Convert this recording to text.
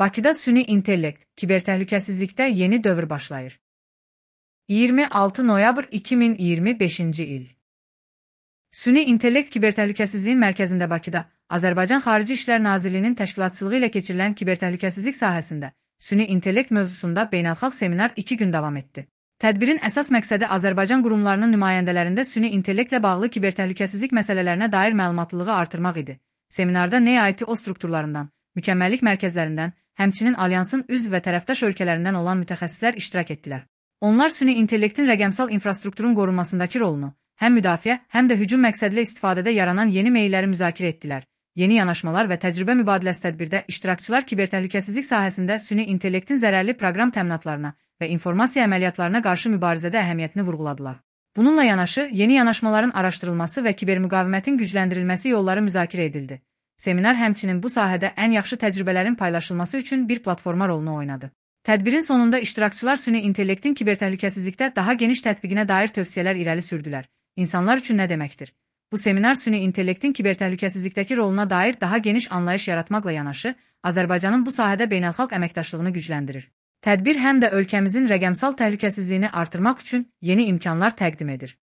Bakıda süni intellekt, kibertəhlükəsizlikdə yeni dövr başlayır. 26 noyabr 2025-ci il. Süni intellekt kibertəhlükəsizliyin mərkəzində Bakıda Azərbaycan Xarici İşlər Nazirliyinin təşkilatçılığı ilə keçirilən kibertəhlükəsizlik sahəsində süni intellekt mövzusunda beynəlxalq seminar 2 gün davam etdi. Tədbirin əsas məqsədi Azərbaycan qurumlarının nümayəndələrində süni intellektlə bağlı kibertəhlükəsizlik məsələlərinə dair məlumatlılığı artırmaq idi. Seminarda NEIT-o strukturlarından, mükəmməllik mərkəzlərindən, həmçinin alyansın üzv və tərəfdaş ölkələrindən olan mütəxəssislər iştirak etdilər. Onlar süni intellektin rəqəmsal infrastrukturun qorunmasındakı rolunu, həm müdafiə, həm də hücum məqsədli istifadədə yaranan yeni meyilləri müzakirə etdilər. Yeni yanaşmalar və təcrübə mübadiləsi tədbirdə iştirakçılar kibertəhlükəsizlik sahəsində süni intellektin zərərli proqram təminatlarına və informasiya əməliyyatlarına qarşı mübarizədə əhəmiyyətini vurğuladılar. Bununla yanaşı, yeni yanaşmaların araşdırılması və kibermüqavimətin gücləndirilməsi yolları müzakirə edildi. Seminar həmçinin bu sahədə ən yaxşı təcrübələrin paylaşılması üçün bir platforma rolunu oynadı. Tədbirin sonunda iştirakçılar süni intellektin kibertəhlükəsizlikdə daha geniş tətbiqinə dair tövsiyələr irəli sürdülər. İnsanlar üçün nə deməkdir? Bu seminar süni intellektin kibertəhlükəsizlikdəki roluna dair daha geniş anlayış yaratmaqla yanaşı, Azərbaycanın bu sahədə beynəlxalq əməkdaşlığını gücləndirir. Tədbir həm də ölkəmizin rəqəmsal təhlükəsizliyini artırmaq üçün yeni imkanlar təqdim edir.